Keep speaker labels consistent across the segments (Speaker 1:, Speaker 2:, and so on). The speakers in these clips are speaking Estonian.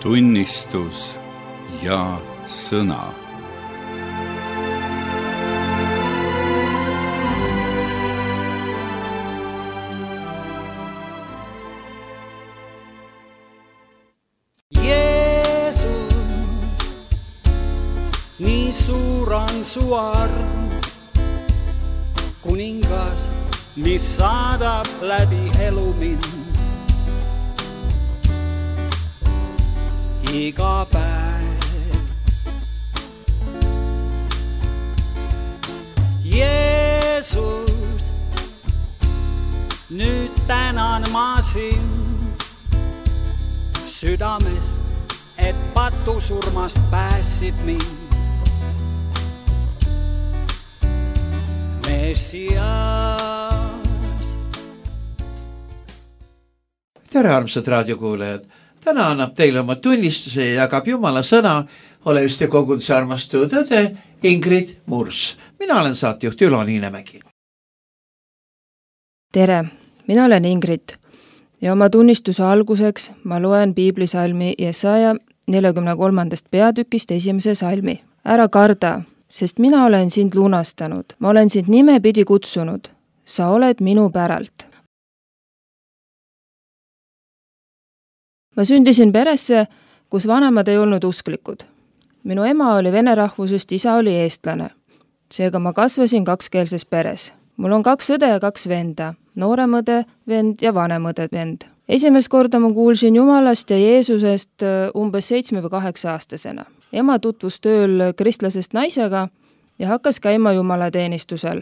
Speaker 1: tunnistus ja sõna.
Speaker 2: Nii suur on su arm, kuningas, mis saadab läbi elu mind. Iga päev Jeesus, nüüd tänan ma sind südamest, et patusurmast pääsid mind.
Speaker 3: Tere, armsad raadiokuulajad! Täna annab teile oma tunnistuse ja jagab Jumala sõna Oleviste koguduse armastatud õde Ingrid Murs. Mina olen saatejuht Ülo Niinemägi.
Speaker 4: Tere, mina olen Ingrid ja oma tunnistuse alguseks ma loen piiblisalmi Jesaja 43. peatükist 1. salmi. Ära karda, sest mina olen sind lunastanud, ma olen sind nimepidi kutsunud, sa oled minu päralt. Ma sündisin peresse, kus vanemad ei olnud usklikud. Minu ema oli vene rahvusest, isa oli eestlane. Seega ma kasvasin kakskeelses peres. Mul on 2 õde ja 2 venda, noorem õde vend ja vanem õde vend. Esimest korda ma kuulsin Jumalast ja Jeesusest umbes 7 või 8 aastasena. Ema tutvus tööl kristlasest naisega ja hakkas käima jumalateenistusel.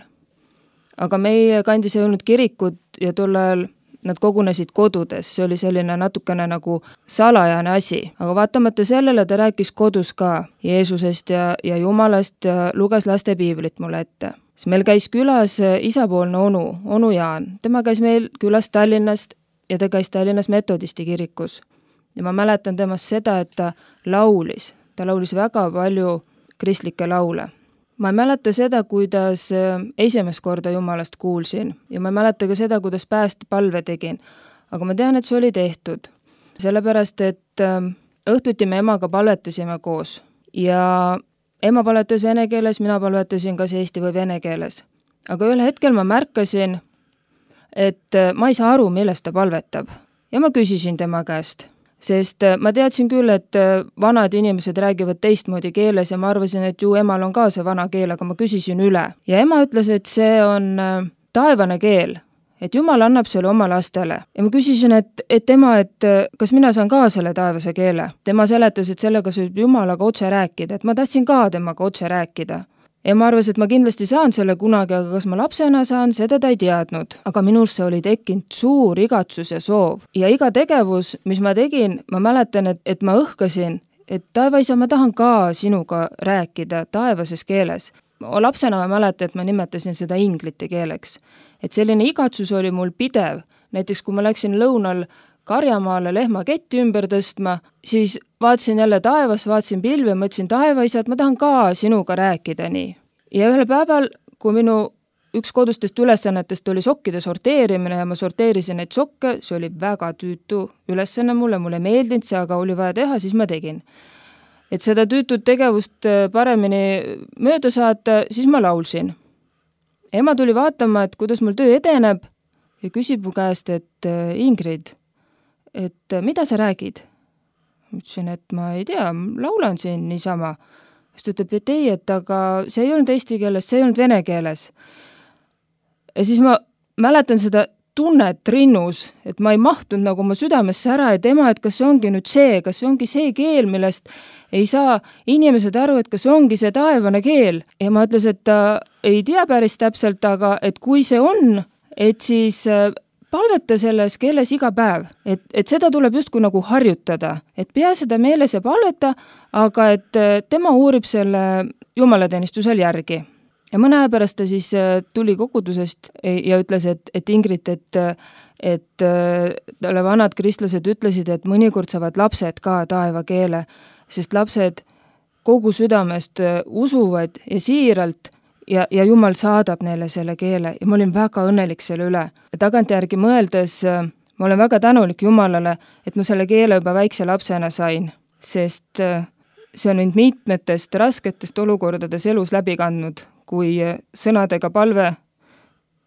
Speaker 4: Aga meie kandis ei olnud kirikut ja tol ajal nad kogunesid kodudes. See oli selline natukene nagu salajane asi. Aga vaatamata sellele ta rääkis kodus ka Jeesusest ja Jumalast ja luges laste piiblit mulle ette. Siis meil käis külas isapoolne onu Jaan. Tema käis meil külas Tallinnast ja ta käis Tallinnas metodisti kirikus. Ja ma mäletan temast seda, et ta laulis väga palju kristlikke laule. Ma ei mäleta seda, kuidas esimest korda Jumalast kuulsin ja ma ei mäleta ka seda, kuidas päästepalve tegin. Aga ma tean, et see oli tehtud. Sellepärast, et õhtuti me emaga palvetasime koos ja ema palvetas vene keeles, mina palvetasin kas eesti või vene keeles. Aga ühel hetkel ma märkasin, et ma ei saa aru, millest ta palvetab. Ja ma küsisin tema käest. Sest ma teadsin küll, et vanad inimesed räägivad teistmoodi keeles ja ma arvasin, et ju emal on ka see vana keel, aga ma küsisin üle. Ja ema ütles, et see on taevane keel, et Jumal annab selle oma lastele. Ja ma küsisin, et ema, et kas mina saan ka selle taevase keele? Tema seletas, et sellega saab Jumalaga otse rääkida, et ma tahtsin ka temaga otse rääkida. Ja ma arvasin, et ma kindlasti saan selle kunagi, aga kas ma lapsena saan, seda ta ei teadnud. Aga minusse oli tekkinud suur igatsus ja soov. Ja iga tegevus, mis ma tegin, ma mäletan, et ma õhkasin, et taevaisa, ma tahan ka sinuga rääkida taevases keeles. Lapsena ma mäletan, et ma nimetasin seda inglite keeleks. Et selline igatsus oli mul pidev. Näiteks kui ma läksin lõunal Karjamaale lehma ketti ümber tõstma, siis vaatasin jälle taevas, vaatasin pilvi ja mõtlesin taevaisa, et ma tahan ka sinuga rääkida nii. Ja ühel päeval, kui minu üks kodustest ülesannetest oli sokkide sorteerimine ja ma sorteerisin neid sokke, see oli väga tüütu ülesanne mulle ei meeldinud see, aga oli vaja teha, siis ma tegin. Et seda tüütut tegevust paremini mööda saata, siis ma laulsin. Ema tuli vaatama, et kuidas mul töö edeneb ja küsib mu käest, et Ingrid, et mida sa räägid? Ma ütlesin, et ma ei tea, laulan siin niisama. Siis ta ütleb, et ei, et aga see ei olnud eesti keeles, see ei olnud vene keeles. Ja siis ma mäletan seda tunnet rinnus, et ma ei mahtunud nagu oma südamesse ära, et ema, et kas see ongi nüüd see, kas see ongi see keel, millest ei saa inimesed aru, et kas see ongi see taevane keel. Ja ma ütles, et ta ei tea päris täpselt, aga et kui see on, et siis palveta selles keeles iga päev, et seda tuleb justkui nagu harjutada, et pea seda meeles ja palveta, aga et tema uurib selle jumalateenistusel järgi. Ja mõne aja pärast ta siis tuli kogudusest ja ütles, et Ingrid, et talle vanad kristlased ütlesid, et mõnikord saavad lapsed ka taeva keele, sest lapsed kogu südamest usuvad ja siiralt ja Jumal saadab neile selle keele ja ma olin väga õnnelik selle üle. Ja tagantjärgi mõeldes ma olen väga tänulik Jumalale, et ma selle keele juba väikse lapsena sain. sest see on mind mitmetest rasketest olukordades elus läbi kandnud, kui sõnadega palve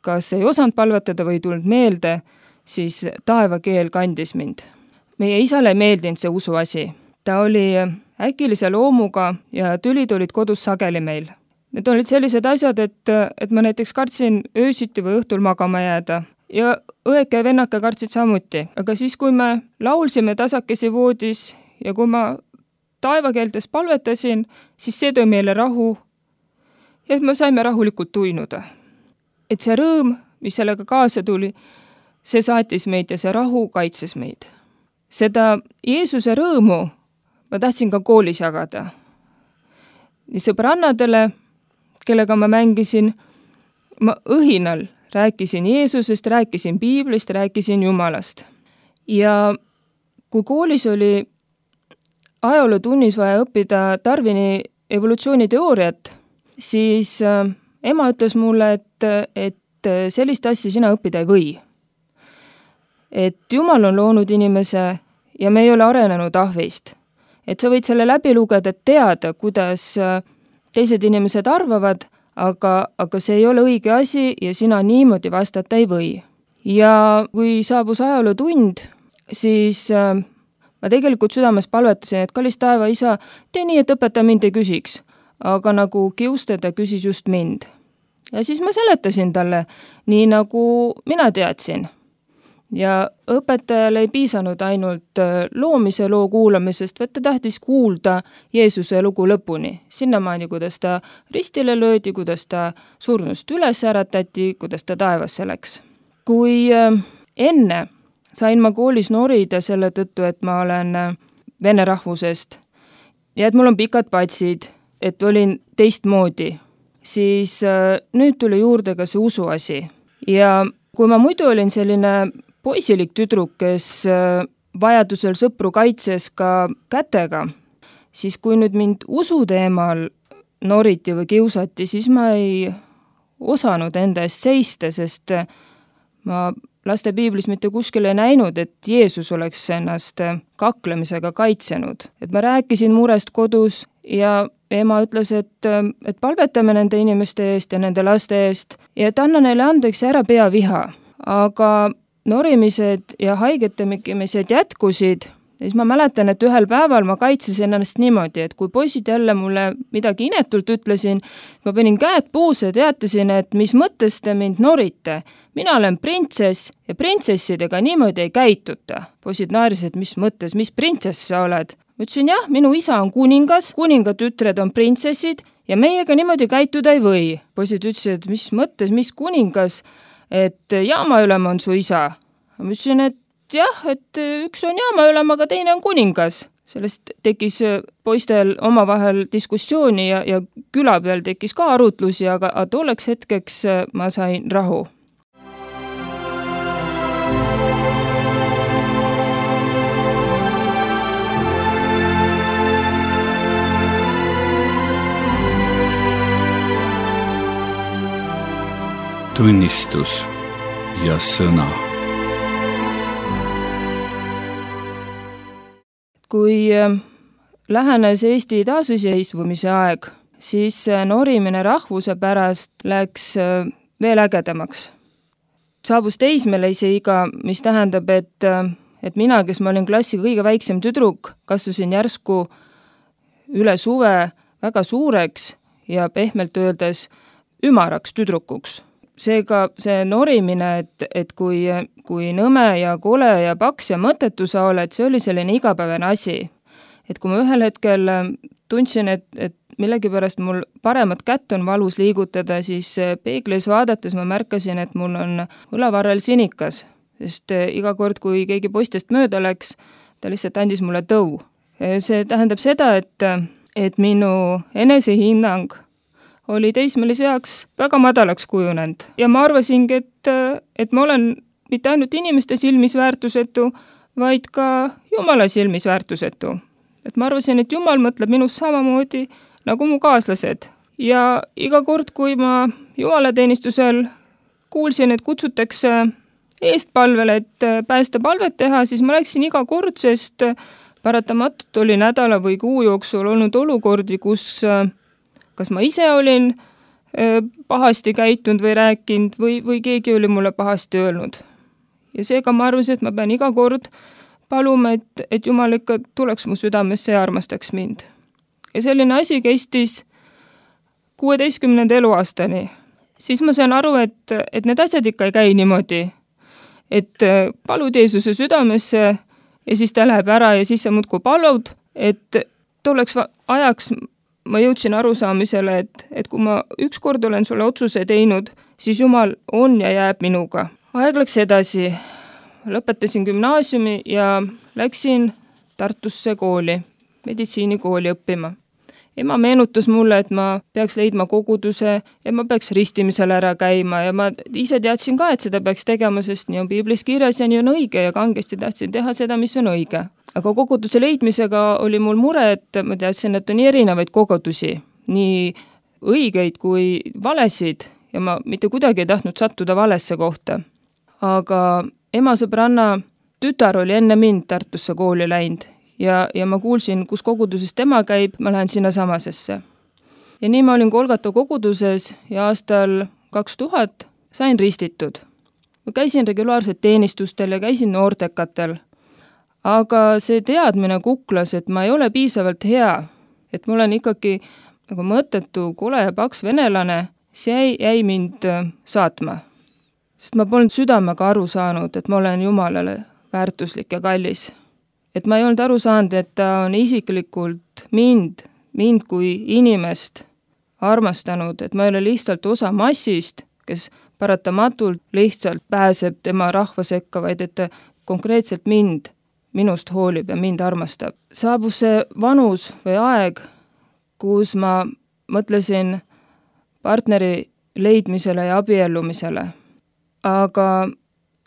Speaker 4: kas ei osanud palvetada või tulnud meelde, siis taevakeel kandis mind. Meie isale ei meeldinud see usuasi. Ta oli äkilise loomuga ja tülid olid kodus sageli meil. Need olid sellised asjad, et ma näiteks kartsin öösiti või õhtul magama jääda. Ja õeke ja vennake kartsid samuti. Aga siis, kui me laulsime tasakesi voodis ja kui ma taevakeeltes palvetasin, siis see tõi meile rahu ja et me saime rahulikult tuinuda. Et see rõõm, mis sellega kaasa tuli, see saatis meid ja see rahu kaitses meid. Seda Jeesuse rõõmu ma tahtsin ka koolis jagada. Nii sõbrannadele, kellega ma mängisin, ma õhinal rääkisin Jeesusest, rääkisin Piiblist, rääkisin Jumalast. Ja kui koolis oli ajalootunnis vaja õppida Darwini evolutsiooniteooriat, siis ema ütles mulle, et sellist asja sina õppida ei või. Et Jumal on loonud inimese ja me ei ole arenenud ahvist. Et sa võid selle läbi lugeda, et teada, kuidas teised inimesed arvavad, aga see ei ole õige asi ja sina niimoodi vastata ei või. Ja kui saabus ajalootund, siis ma tegelikult südames palvetasin, et kallis taeva isa, tee nii, et õpetaja mind ei küsiks, aga nagu kiustada küsis just mind. Ja siis ma seletasin talle nii, nagu mina teadsin. Ja õpetajal ei piisanud ainult loomise loo kuulamisest, vaid ta tahtis kuulda Jeesuse lugu lõpuni. Sinnamaani, kuidas ta ristile löödi, kuidas ta surnust üles äratati, kuidas ta taevasse läks. Kui enne sain ma koolis norida selle tõttu, et ma olen vene rahvusest ja et mul on pikad patsid, et olin teistmoodi, siis nüüd tuli juurde ka see usuasi. Ja kui ma muidu olin selline poisilik tüdruk, kes vajadusel sõpru kaitses ka kätega, siis kui nüüd mind usu teemal noriti või kiusati, siis ma ei osanud enda eest seista, sest ma laste piiblis mitte kuskil ei näinud, et Jeesus oleks ennast kaklemisega kaitsenud. Et ma rääkisin murest kodus ja ema ütles, et palvetame nende inimeste eest ja nende laste eest ja et anna neile andeks ja ära pea viha. Aga norimised ja haigetemised jätkusid, ja siis ma mäletan, et ühel päeval ma kaitsesin ennast niimoodi, et kui poisid jälle mulle midagi inetult ütlesin, ma panin käed puusse ja teatasin, et mis mõttes te mind norite. Mina olen printsess ja printsessidega niimoodi ei käituta. Poisid naerisid, mis mõttes, mis printsess sa oled? Ma ütlesin, jah, minu isa on kuningas, kuningatütred on printsessid ja meiega niimoodi käituda ei või. Poisid ütlesid, mis mõttes, mis kuningas, et jaamaülem on su isa. Ma ütlesin, et jah, et üks on jaamaülem, aga teine on kuningas. Sellest tekkis poistel omavahel diskussiooni ja küla peal tekkis ka arutlusi, aga tolleks hetkeks ma sain rahu.
Speaker 1: Tunnistus ja sõna.
Speaker 4: Kui lähenes Eesti taasiseseisvumise aeg, siis norimine rahvuse pärast läks veel ägedamaks. Saabus teismelise iga, mis tähendab, et mina, kes ma olin klassi kõige väiksem tüdruk, kasvasin järsku üle suve väga suureks ja pehmelt öeldes ümaraks tüdrukuks. Seega see norimine, et kui nõme ja kole ja paks ja mõttetu sa oled, see oli selline igapäevane asi. Et kui ma ühel hetkel tundsin, et millegipärast mul paremat kätt on valus liigutada, siis peeglis vaadates ma märkasin, et mul on õlavarrel sinikas, sest iga kord, kui keegi poistest mööda läks, ta lihtsalt andis mulle tõu. See tähendab seda, et minu enesehinnang oli teismelise jaoks väga madalaks kujunenud. Ja ma arvasingi, et ma olen mitte ainult inimeste silmis väärtusetu, vaid ka Jumala silmis väärtusetu. Et ma arvasin, et Jumal mõtleb minust samamoodi nagu mu kaaslased. Ja iga kord, kui ma jumalateenistusel kuulsin, et kutsutakse eestpalvele, et päästepalvet teha, siis ma läksin iga kord, sest paratamatult oli nädala või kuu jooksul olnud olukordi, kus kas ma ise olin pahasti käitunud või rääkinud või keegi oli mulle pahasti öelnud. Ja seega ma arvasin, et ma pean iga kord paluma, et Jumal ikka tuleks mu südamesse ja armastaks mind. Ja selline asi kestis 16. eluaastani. Siis ma sain aru, et need asjad ikka ei käi niimoodi, et palud Jeesuse südamesse ja siis ta läheb ära ja siis sa muudkui palud, et tolleks ajaks ma jõudsin arusaamisele, et kui ma ükskord olen sulle otsuse teinud, siis Jumal on ja jääb minuga. Aeg läks edasi, lõpetasin gümnaasiumi ja läksin Tartusse kooli, meditsiinikooli õppima. Ema meenutas mulle, et ma peaks leidma koguduse ja ma peaks ristimisel ära käima ja ma ise teadsin ka, et seda peaks tegema, sest nii on piiblis kirjas ja nii on õige ja kangesti tahtsin teha seda, mis on õige. Aga koguduse leidmisega oli mul mure, et ma teadsin, et on nii erinevaid kogudusi, nii õigeid kui valesid ja ma mitte kuidagi ei tahtnud sattuda valesse kohta. Aga ema sõbranna tütar oli enne mind Tartusse kooli läinud ja ma kuulsin, kus koguduses tema käib, ma lähen sinna samasesse. Ja nii ma olin Golgata koguduses ja aastal 2000 sain ristitud. Ma käisin regulaarselt teenistustel ja käisin noortekatel. Aga see teadmine kuklas, et ma ei ole piisavalt hea, et ma olen ikkagi nagu mõttetu, kole ja paks venelane, see jäi mind saatma. Sest ma polnud südamega aru saanud, et ma olen Jumalale väärtuslik ja kallis. Et ma ei olnud aru saanud, et ta on isiklikult mind kui inimest armastanud, et ma ei ole lihtsalt osa massist, kes paratamatult lihtsalt pääseb tema rahva sekka, vaid et ta konkreetselt minust hoolib ja mind armastab. Saabus see vanus või aeg, kus ma mõtlesin partneri leidmisele ja abiellumisele. Aga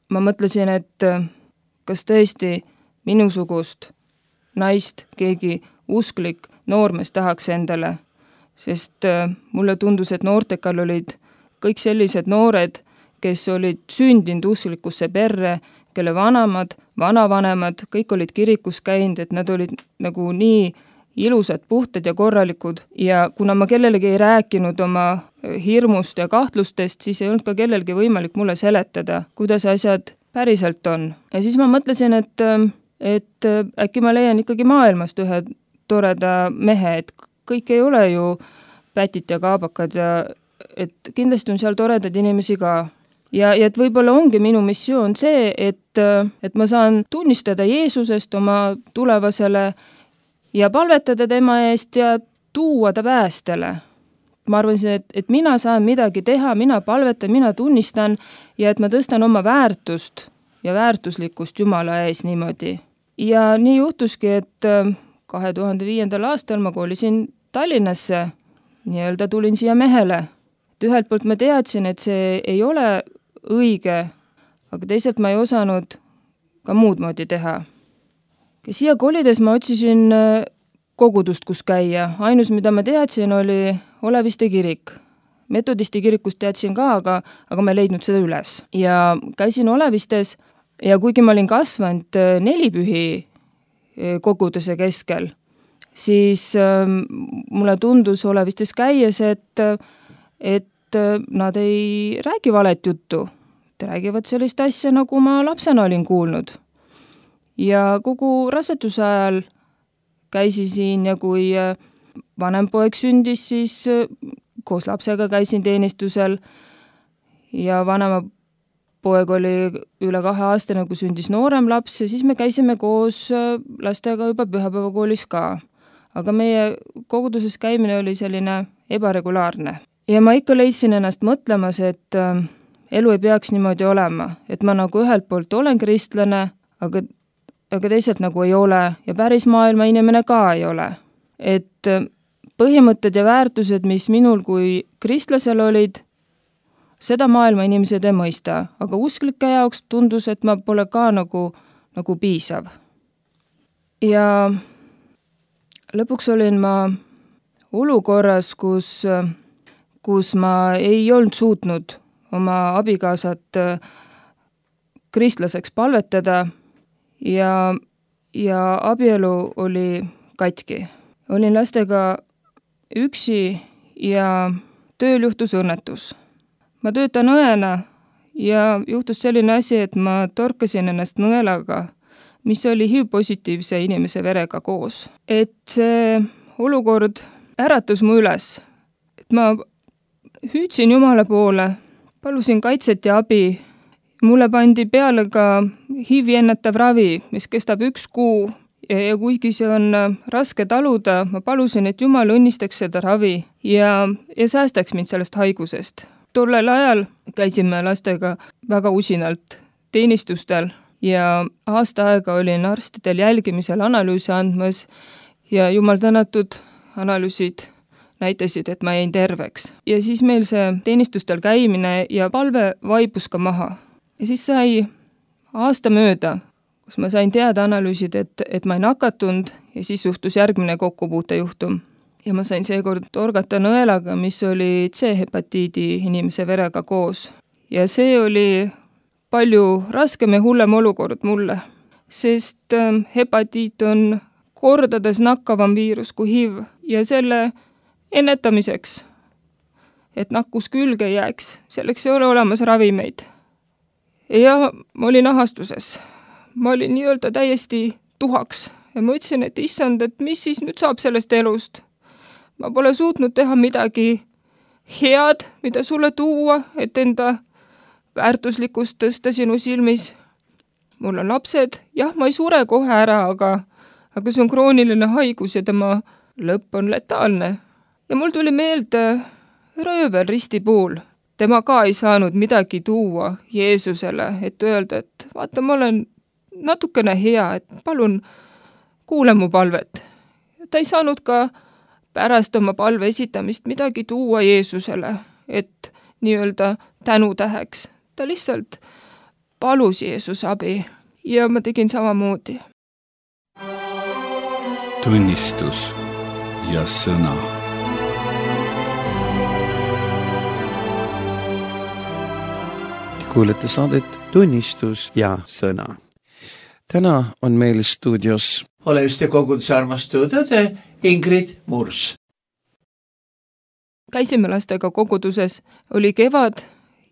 Speaker 4: ma mõtlesin, et kas tõesti minusugust naist keegi usklik noormees tahaks endale, sest mulle tundus, et noortekal olid kõik sellised noored, kes olid sündinud usklikusse perre, kelle vanavanemad, kõik olid kirikus käinud, et nad olid nagu nii ilusad, puhtad ja korralikud ja kuna ma kellelegi ei rääkinud oma hirmust ja kahtlustest, siis ei olnud ka kellelgi võimalik mulle seletada, kuidas asjad päriselt on. Ja siis ma mõtlesin, et äkki ma leian ikkagi maailmast ühe toreda mehe, et kõik ei ole ju pätid ja kaabakad ja et kindlasti on seal toredad inimesi ka. Ja et võib-olla ongi minu missioon see, et ma saan tunnistada Jeesusest oma tulevasele ja palvetada tema eest ja tuua ta päästele. Ma arvasin, et mina saan midagi teha, mina palvetan, mina tunnistan ja et ma tõstan oma väärtust ja väärtuslikkust Jumala ees niimoodi. Ja nii juhtuski, et 2005. aastal ma koolisin Tallinnasse, nii-öelda tulin siia mehele. Et ühelt poolt ma teadsin, et see ei ole õige, aga teisalt ma ei osanud ka muud moodi teha. Ja siia kolides ma otsisin kogudust, kus käia. Ainus, mida ma teadsin, oli Oleviste kirik. Metodisti kirikust teadsin ka, aga ma ei leidnud seda üles. Ja käisin Olevistes ja kuigi ma olin kasvanud nelipühi koguduse keskel, siis mulle tundus Olevistes käies, et nad ei räägi valet juttu. Nad räägivad sellist asja, nagu ma lapsena olin kuulnud. Ja kogu raseduse ajal käisin siin ja kui vanem poeg sündis, siis koos lapsega käisin teenistusel ja vanema poeg oli üle 2 aastane, kui sündis noorem laps ja siis me käisime koos lastega juba pühapäevakoolis ka. Aga meie koguduses käimine oli selline ebaregulaarne. Ja ma ikka leidsin ennast mõtlemas, et elu ei peaks niimoodi olema, et ma nagu ühelt poolt olen kristlane, aga teisalt nagu ei ole ja päris maailma inimene ka ei ole. Et põhimõtted ja väärtused, mis minul kui kristlasel olid, seda maailma inimesed ei mõista, aga usklike jaoks tundus, et ma pole ka nagu piisav. Ja lõpuks olin ma olukorras, kus ma ei olnud suutnud oma abikaasat kristlaseks palvetada ja ja abielu oli katki. Olin lastega üksi ja tööl juhtus õnnetus. Ma töötan õena ja juhtus selline asi, et ma torkasin ennast nõelaga, mis oli HIV-positiivse inimese verega koos. Et see olukord äratus mu üles. Et ma hüüdsin Jumala poole, palusin kaitset ja abi. Mulle pandi peale ka HIV-i ennetav ravi, mis kestab 1 kuu ja kuigi see on raske taluda, ma palusin, et Jumal õnnistaks seda ravi ja säästaks mind sellest haigusest. Tollel ajal käisime lastega väga usinalt teenistustel ja aasta aega olin arstidel jälgimisel analüüse andmas ja Jumal tänatud analüüsid näitasid, et ma jäin terveks. Ja siis meil see teenistustel käimine ja palve vaibus ka maha. Ja siis sai aasta mööda, kus ma sain teada analüüsid, et ma ei nakatunud ja siis juhtus järgmine kokkupuutejuhtum. Ja ma sain seekord torgata nõelaga, mis oli C-hepatiidi inimese verega koos. Ja see oli palju raskem ja hullem olukord mulle, sest hepatiit on kordades nakkavam viirus kui HIV ja selle ennetamiseks, et nakkus külge jääks, selleks ei ole olemas ravimeid. Ja ma olin ahastuses. Ma olin nii-öelda täiesti tuhaks ja ma ütlesin, et issand, et mis siis nüüd saab sellest elust? Ma pole suutnud teha midagi head, mida sulle tuua, et enda väärtuslikkust tõsta sinu silmis. Mul on lapsed, jah, ma ei sure kohe ära, aga see on krooniline haigus ja tema lõpp on letaalne. Ja mul tuli meelde röövel risti puul. Tema ka ei saanud midagi tuua Jeesusele, et öelda, et vaata, ma olen natukene hea, et palun kuule mu palvet. Ta ei saanud ka pärast oma palve esitamist midagi tuua Jeesusele, et nii-öelda tänutäheks. Ta lihtsalt palus Jeesus abi ja ma tegin samamoodi.
Speaker 1: Tunnistus ja sõna.
Speaker 3: Kuulete saadet Tunnistus ja sõna.
Speaker 5: Täna on meil stuudios
Speaker 3: Oleviste koguduse armastatud õde Ingrid Murs.
Speaker 4: Käisime lastega koguduses, oli kevad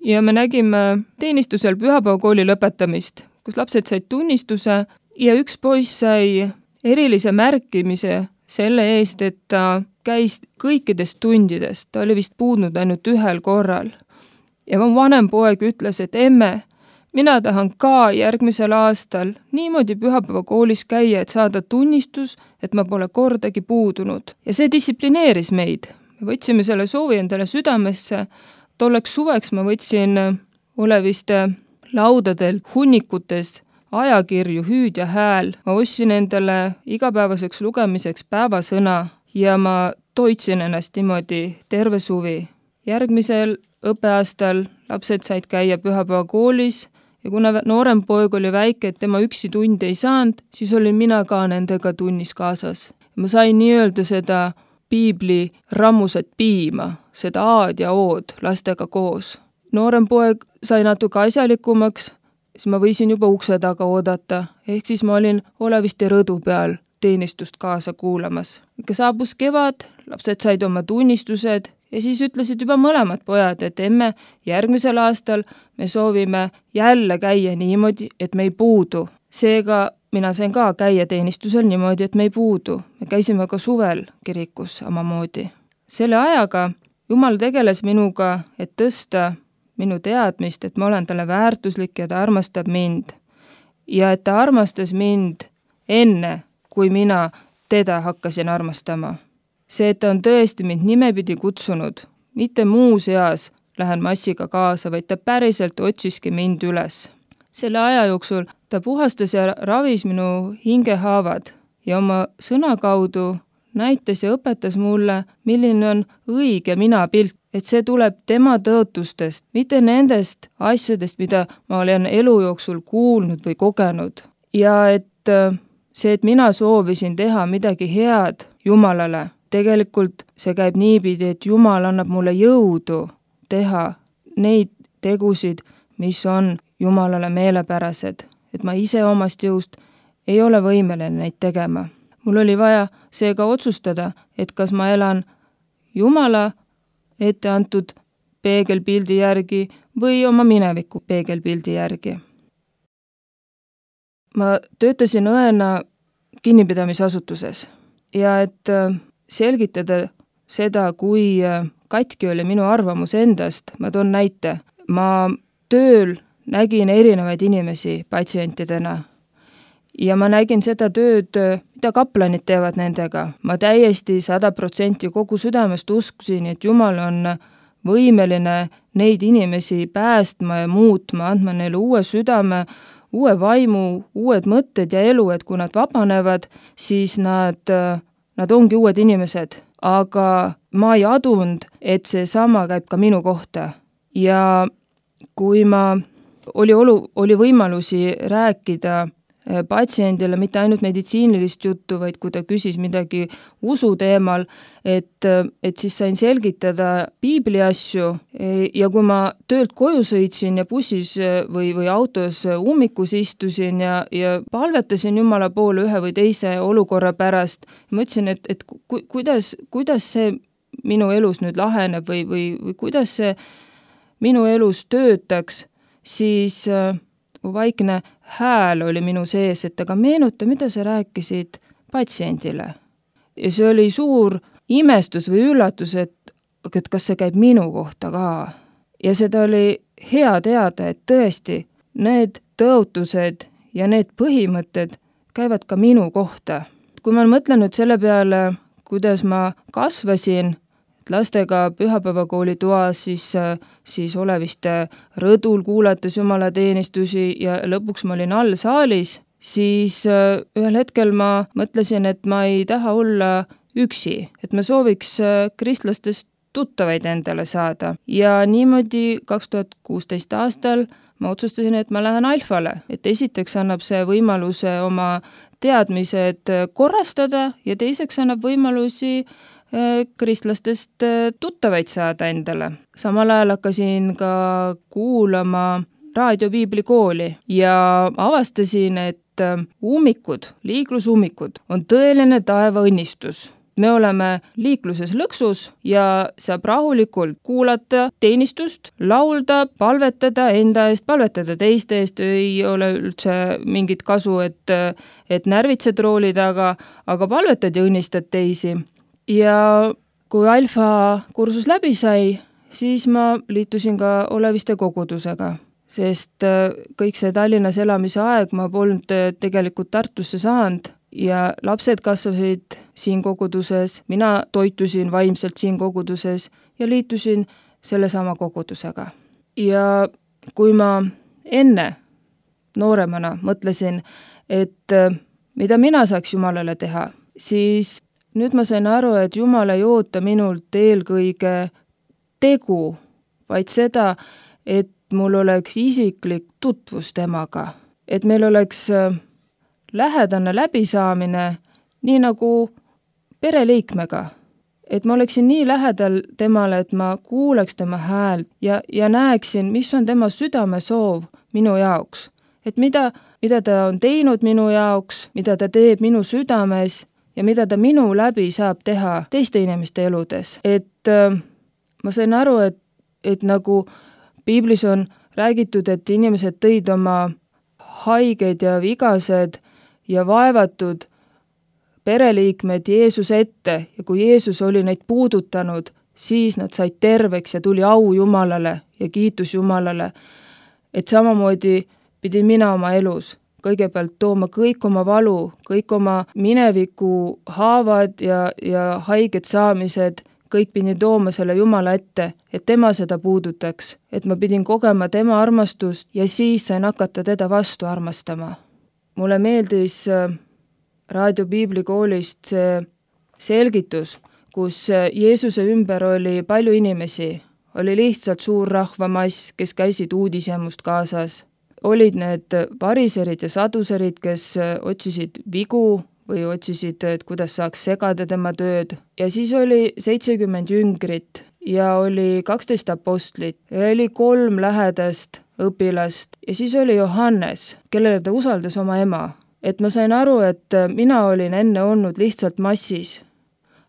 Speaker 4: ja me nägime teenistusel pühapäevakooli lõpetamist, kus lapsed said tunnistuse ja üks poiss sai erilise märkimise selle eest, et ta käis kõikidest tundidest, ta oli vist puudnud ainult 1 korral. Ja mu vanem poeg ütles, et emme, mina tahan ka järgmisel aastal niimoodi pühapäevakoolis käia, et saada tunnistus, et ma pole kordagi puudunud. Ja see distsiplineeris meid. Me võtsime selle soovi endale südamesse. Tolleks suveks ma võtsin Oleviste laudadelt hunnikutes ajakirju Hüüd ja hääl. Ma ostsin endale igapäevaseks lugemiseks päevasõna ja ma toitsin ennast niimoodi terve suvi. Järgmisel õppeaastal lapsed said käia pühapäevakoolis ja kuna noorem poeg oli väike, et tema üksi tunde ei saanud, siis olin mina ka nendega tunnis kaasas. Ma sain nii-öelda seda piibli rammusat piima, seda aad ja ood lastega koos. Noorem poeg sai natuke asjalikumaks, siis ma võisin juba ukse taga oodata, ehk siis ma olin Oleviste rõdu peal teenistust kaasa kuulamas. Ikka saabus kevad, lapsed said oma tunnistused ja siis ütlesid juba mõlemad pojad, et emme, järgmisel aastal me soovime jälle käia niimoodi, et me ei puudu. Seega mina sain ka käia teenistusel niimoodi, et me ei puudu. Me käisime ka suvel kirikus samamoodi. Selle ajaga Jumal tegeles minuga, et tõsta minu teadmist, et ma olen talle väärtuslik ja ta armastab mind. Ja et ta armastas mind enne, kui mina teda hakkasin armastama. See, et ta on tõesti mind nimepidi kutsunud, mitte muus eas lähen massiga kaasa, vaid ta päriselt otsiski mind üles. Selle aja jooksul ta puhastas ja ravis minu hingehaavad ja oma sõna kaudu näitas ja õpetas mulle, milline on õige minapilt, et see tuleb tema tõotustest, mitte nendest asjadest, mida ma olen elu jooksul kuulnud või kogenud. Ja et see, et mina soovisin teha midagi head Jumalale, tegelikult see käib niipidi, et Jumal annab mulle jõudu teha neid tegusid, mis on Jumalale meelepärased. Et ma ise omast jõust ei ole võimeline neid tegema. Mul oli vaja seega otsustada, et kas ma elan Jumala ette antud peegelpildi järgi või oma mineviku peegelpildi järgi. Ma töötasin õena kinnipidamisasutuses ja et selgitada seda, kui katki oli minu arvamus endast, ma toon näite. Ma tööl nägin erinevaid inimesi patsientidena ja ma nägin seda tööd, mida kaplanid teevad nendega. Ma täiesti 100% kogu südamest uskusin, et Jumal on võimeline neid inimesi päästma ja muutma, andma neile uue südame, uue vaimu, uued mõtted ja elu, et kui nad vabanevad, siis nad ongi uued inimesed. Aga ma ei adunud, et see sama käib ka minu kohta. Ja kui oli võimalusi rääkida patsiendile mitte ainult meditsiinilist juttu, vaid kui ta küsis midagi usu teemal, et siis sain selgitada piibli asju ja kui ma töölt koju sõitsin ja bussis või autos ummikus istusin ja palvetasin Jumala poole ühe või teise olukorra pärast, mõtlesin, et kuidas see minu elus nüüd laheneb või kuidas see minu elus töötaks, siis vaikne hääl oli minu sees, et aga meenuta, mida sa rääkisid patsiendile. Ja see oli suur imestus või üllatus, et kas see käib minu kohta ka. Ja seda oli hea teada, et tõesti need tõotused ja need põhimõtted käivad ka minu kohta. Kui ma mõtlen nüüd selle peale, kuidas ma kasvasin lastega pühapäevakooli toas, siis Oleviste rõdul kuulates jumalateenistusi ja lõpuks ma olin all saalis, siis ühel hetkel ma mõtlesin, et ma ei taha olla üksi, et ma sooviks kristlastest tuttavaid endale saada. Ja niimoodi 2016 aastal ma otsustasin, et ma lähen Alfale, et esiteks annab see võimaluse oma teadmised korrastada ja teiseks annab võimalusi kristlastest tuttavaid saada endale. Samal ajal hakkasin ka kuulama raadiopiiblikooli ja avastasin, et liiklusummikud on tõeline taevaõnnistus. Me oleme liikluses lõksus ja saab rahulikult kuulata teenistust, laulda, palvetada enda eest, palvetada teiste eest, ei ole üldse mingit kasu, et närvitsed rooli taga, aga palvetad ja õnnistad teisi. Ja kui Alfa kursus läbi sai, siis ma liitusin ka Oleviste kogudusega, sest kõik see Tallinnas elamise aeg ma polnud tegelikult Tartusse saanud ja lapsed kasvasid siin koguduses, mina toitusin vaimselt siin koguduses ja liitusin sellesama kogudusega. Ja kui ma enne nooremana mõtlesin, et mida mina saaks Jumalale teha, siis nüüd ma sain aru, et Jumal ei oota minult eelkõige tegu, vaid seda, et mul oleks isiklik tutvus temaga, et meil oleks lähedane läbisaamine, nii nagu pereliikmega, et ma oleksin nii lähedal temale, et ma kuuleks tema häält ja näeksin, mis on tema südamesoov minu jaoks, et mida ta on teinud minu jaoks, mida ta teeb minu südames ja mida ta minu läbi saab teha teiste inimeste eludes. Et ma sain aru, et nagu piiblis on räägitud, et inimesed tõid oma haiged ja vigased ja vaevatud pereliikmed Jeesuse ette ja kui Jeesus oli neid puudutanud, siis nad said terveks ja tuli au Jumalale ja kiitus Jumalale. Et samamoodi pidin mina oma elus kõigepealt tooma kõik oma valu, kõik oma mineviku haavad ja haiged saamised, kõik pidin tooma selle Jumala ette, et tema seda puudutaks, et ma pidin kogema tema armastust ja siis sain hakata teda vastu armastama. Mulle meeldis raadiopiiblikoolist see selgitus, kus Jeesuse ümber oli palju inimesi, oli lihtsalt suur rahvamass, kes käisid uudisjämust kaasas. Olid need variserid ja saduserid, kes otsisid vigu või otsisid, et kuidas saaks segada tema tööd. Ja siis oli 70 jüngrit ja oli 12 apostlit ja oli 3 lähedast õpilast ja siis oli Johannes, kellele ta usaldas oma ema. et ma sain aru, et mina olin enne olnud lihtsalt massis.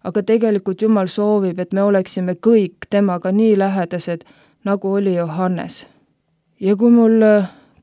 Speaker 4: Aga tegelikult Jumal soovib, et me oleksime kõik temaga nii lähedased, nagu oli Johannes. Ja kui mul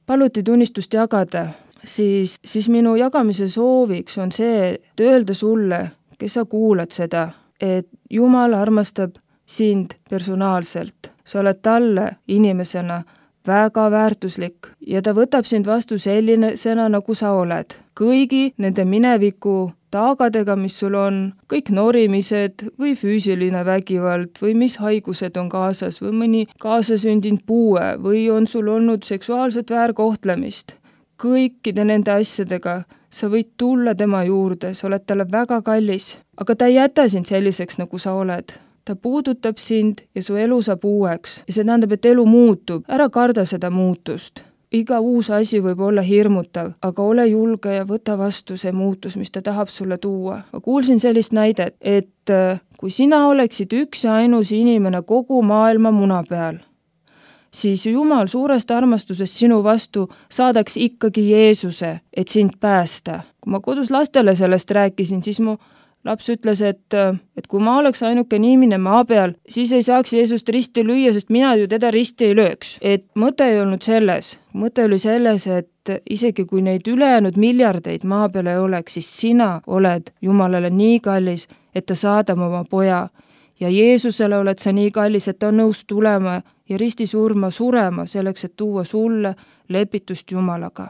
Speaker 4: paluti tunnistust jagada, siis minu jagamise sooviks on see, et öelda sulle, kes sa kuulad seda, et Jumal armastab sind personaalselt. Sa oled talle inimesena väga väärtuslik ja ta võtab sind vastu sellisena, nagu sa oled. Kõigi nende mineviku taagadega, mis sul on, kõik norimised või füüsiline vägivald või mis haigused on kaasas või mõni kaasasündinud puue või on sul olnud seksuaalset väärkohtlemist. Kõikide nende asjadega sa võid tulla tema juurde, sa oled talle väga kallis, aga ta ei jäta sind selliseks, nagu sa oled. Ta puudutab sind ja su elu saab uueks ja see tähendab, et elu muutub. Ära karda seda muutust. Iga uus asi võib olla hirmutav, aga ole julge ja võta vastu see muutus, mis ta tahab sulle tuua. Ma kuulsin sellist näidet, et kui sina oleksid üks ja ainus inimene kogu maailma muna peal, siis Jumal suurest armastusest sinu vastu saadaks ikkagi Jeesuse, et sind päästa. Kui ma kodus lastele sellest rääkisin, siis mu laps ütles, et kui ma oleks ainuke inimene maa peal, siis ei saaks Jeesust risti lüüa, sest mina ju teda risti ei lööks. Et mõte ei olnud selles. Mõte oli selles, et isegi kui neid ülejäänud miljardeid maa peal ei oleks, siis sina oled Jumalale nii kallis, et ta saadab oma poja. Ja Jeesusele oled sa nii kallis, et ta on nõus tulema ja risti surema selleks, et tuua sulle lepitust Jumalaga.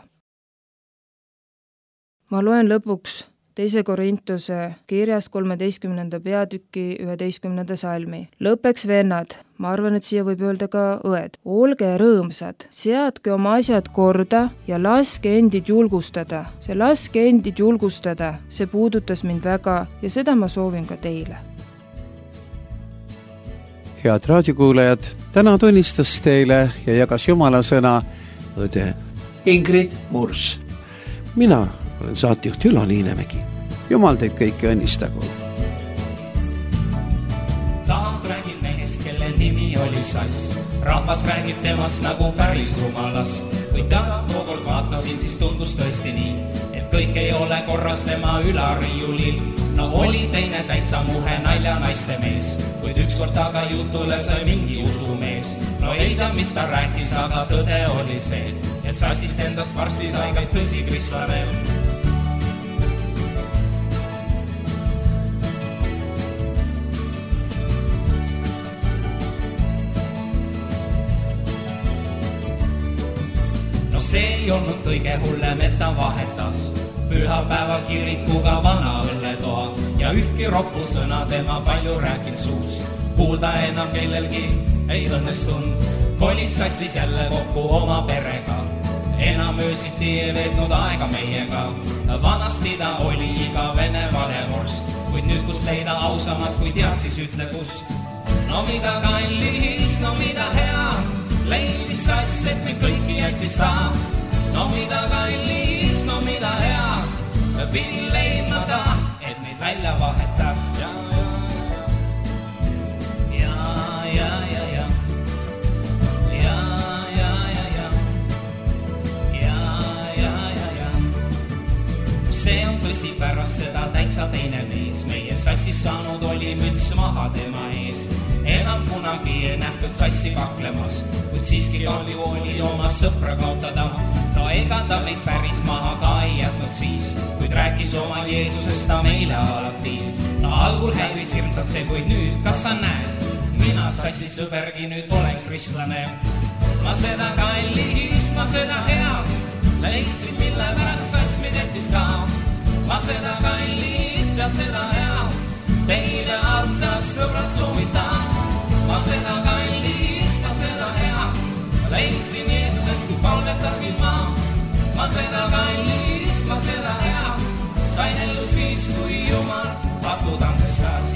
Speaker 4: Ma loen lõpuks 2. Korintuse kirjast 13. peatüki 11. salmi. Lõpeks vennad, ma arvan, et siia võib öelda ka õed. Olge rõõmsad, seadke oma asjad korda ja laske endid julgustada. See laske endid julgustada, see puudutas mind väga ja seda ma soovin ka teile.
Speaker 5: Head raadiokuulajad, täna tunnistas teile ja jagas Jumala sõna õde
Speaker 3: Ingrid Murs.
Speaker 5: Mina olen saatejuht Ülo Niinemägi. Jumal teid kõiki õnnistagu.
Speaker 6: Tahab räägib mehest, kelle nimi oli Sass. Rahvas räägib temast nagu päris rumalast. Kui ta tookord vaatasin, siis tundus tõesti nii, et kõik ei ole korras tema ülariiulil. No oli teine täitsa muhe nalja naiste mees, kuid ükskord taga jutule sai mingi usumees. No ei ta, mis ta rääkis, aga tõde oli see, et Sassist endast varsti sai ka tõsi kristlane. No see ei olnud kõige hullem, et ta vahetas pühapäeval kirikuga vana õlletoa ja ühtki roppu sõna tema palju rääkinud suus. Kuulda enam kellelgi ei õnnestunud, kolis Sassis jälle kokku oma perega. Enam öösiti ei veetnud aega meiega, vanasti ta oli igavene valevorst, kuid nüüd kust leida ausamad, kui tead, siis ütle kust. No mida kallis, no mida hea, leidis Sass, et meid kõiki jättis ta. No mida kallis, no mida hea, pidi leidma ta, et meid välja vahetas. See on tõsi, pärast seda täitsa teine mees. Meie Sassis saanud oli müts maha tema ees. Enam kunagi ei nähtud Sassi kaklemas, kuid siiski oli oma sõpra kaotada. No ega ta meid päris maha ka ei jätnud siis, kuid rääkis oma Jeesusest ta meile alati. No algul häiris hirmsalt see, kuid nüüd, kas sa näed, mina Sassi sõbergi nüüd olen kristlane. Ma seda kallist, ma seda head leidsin, mille pärast Sass meid jättis ka. Ma seda kallist ja seda head teile armsad sõbrad soovitan. Ma seda kallist ja seda head leidsin Jeesuses, kui palvetasin ma. Ma seda kallist, ma seda head sain ellu siis, kui Jumal patud andestas.